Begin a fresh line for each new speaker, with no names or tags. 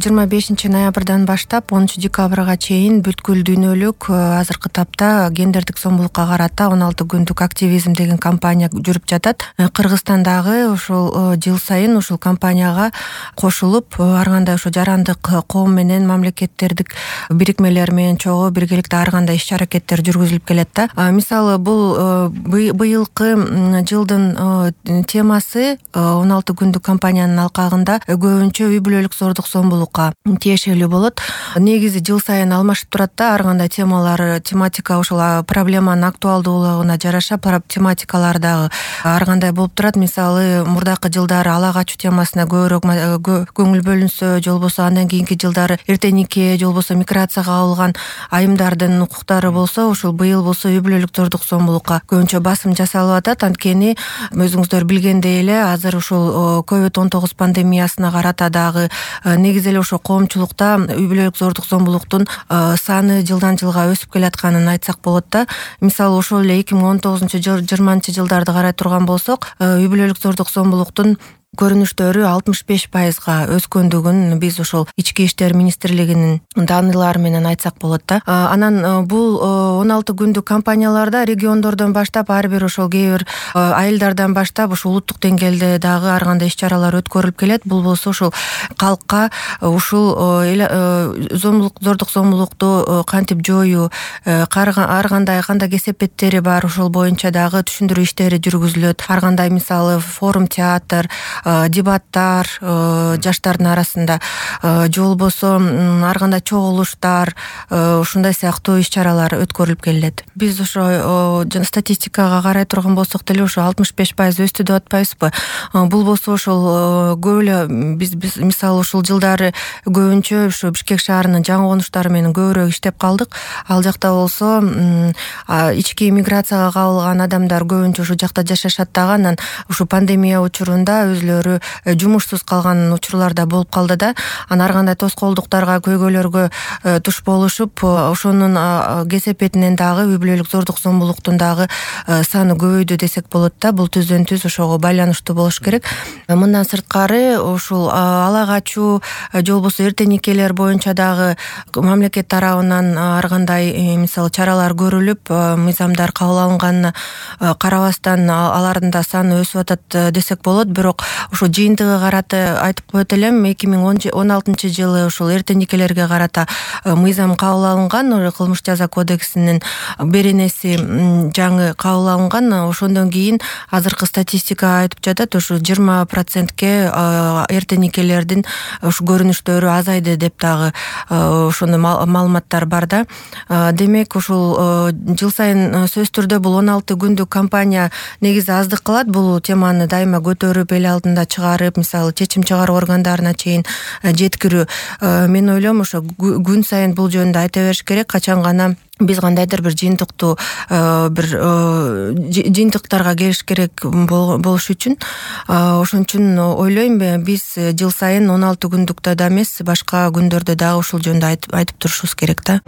25-ноябрдан баштап 10-декабрга чейин бүткүл дүйнөлүк азыркы тапта гендердик зомбулукка карата 16 күндүк активизм деген кампания жүрүп жатат. Кыргызстандагы ушул жыл сайын ушул кампанияга кошулуп, ар кандай ошо жарандык коом менен мамлекеттердик бирикмелер менен чогуу биргеликте ар кандай иш-аракеттер жүргүзүлүп келет да. Мисалы, бул быйылкы жылдын темасы 16 күндүк кампаниянын алкагында көбүнчө үй-бүлөлүк зордук зомбулукка тиешелүү болот. Негизи жыл сайын алмашып турат да, ар кандай тематика ошол проблеманын актуалдуулугуна жараша тематикалар дагы ар кандай болуп турат. Мисалы, мурдакы жылдары ала качуу темасына көбүрөөк көңүл бөлүнсө, же болбосо андан кийинки жылдары эрте нике, же болбосо миграцияга кабылган айымдардын укуктары болсо, ушул быйыл болсо үй-бүлөлүк зордук зомбулукка көбүнчө басым жасалып атат. Анткени өзүңүздөр билгендей эле азыр ушул COVID-19 пандемиясына карата дагы негизи эле ошо коомчулукта үй-бүлөлүк зордук зомбулуктун саны жылдан жылга өсүп келатканын айтсак болот да. Мисалы, ошол эле 2019-20 жылдарды карай турган болсок, үй-бүлөлүк зордук зомбулуктун көрүнүштөрү 65%га өскөндүгүн биз ошол Ички иштер министрлигинин данылары менен айтсак болот да. Анан бул 16 күндүк кампанияларда региондордон баштап ар бир ошол кээ бир айылдардан баштап ошол улуттук деңгээлде дагы ар кандай иш-чаралар өткөрүлүп келет. Бул болсо ошол калкка ушул зордук зомбулукту кантип жоюу, ар кандай кесепеттери бар, ошол боюнча дагы түшүндүрүү иштери жүргүзүлөт. Ар кандай, мисалы, форум театр, дебаттар жаштардын арасында, же болбосо ар кандай чогулуштар, ушундай сыяктуу иш-чаралар өткөрүлүп келет. Биз ошо статистикага карай турган болсок деле ошо 65% өстү деп атпайбызбы? Бул болсо ошол көп эле биз мисалы ушул жылдары көбүнчө ушу Бишкек шаарынын жаңы конуштары менен көбүрөөк иштеп калдык. Ал жакта болсо ички миграцияга кабылган адамдар көбүнчө ушу жакта жашашат дагы. Анан ушу пандемия учурунда өзүлөрү жумушсуз калган учурлар да болуп калды да. Ар кандай тоскоолдуктарга, көйгөйлөргө туш болушуп, ошонун кесепетинен дагы үй-бүлөлүк зордук зомбулуктун дагы саны көбөйдү десек болот да. Бул түздөн түз ошого байланыштуу болуш керек. Мындан сырткары ушул ала качуу, же болбосо эрте никелер боюнча дагы мамлекет тарабынан ар кандай мисалы чаралар көрүлүп, мыйзамдар кабыл алынганына карабастан алардын да саны өсүп атат десек болот. Бирок ошо жыйынтыгы карата айтып коет элем, 2016 жылы ошол эрте никелерге карата мыйзам кабыл алынган, кылмыш жаза кодексинин беренеси жаңы кабыл алынган. Ошондон кийин азыркы статистика айтып жатат, ушу 20%ке эрте никелердин ушу көрүнүштөрү азайды деп дагы ошондой маалыматтар бар да. Демек, ушул жыл сайын сөзсүз түрдө бул 16 күндүк кампания негизи аздык кылат. Бул теманы дайыма көтөрүп, эл алдында чыгарып, мисалы, чечим чыгаруу органдарына чейин жеткирүү. Мен ойлойм, ошо күн сайын бул жөнүндө айта бериш керек. Качан гана биз кандайдыр бир жыйынтыктарга келиш керек болуш үчүн. Ошон үчүн ойлойм, биз жыл сайын 16 күндүктө да эмес, башка күндөрдө дагы ушул жөнүндө айтып турушубуз керек да.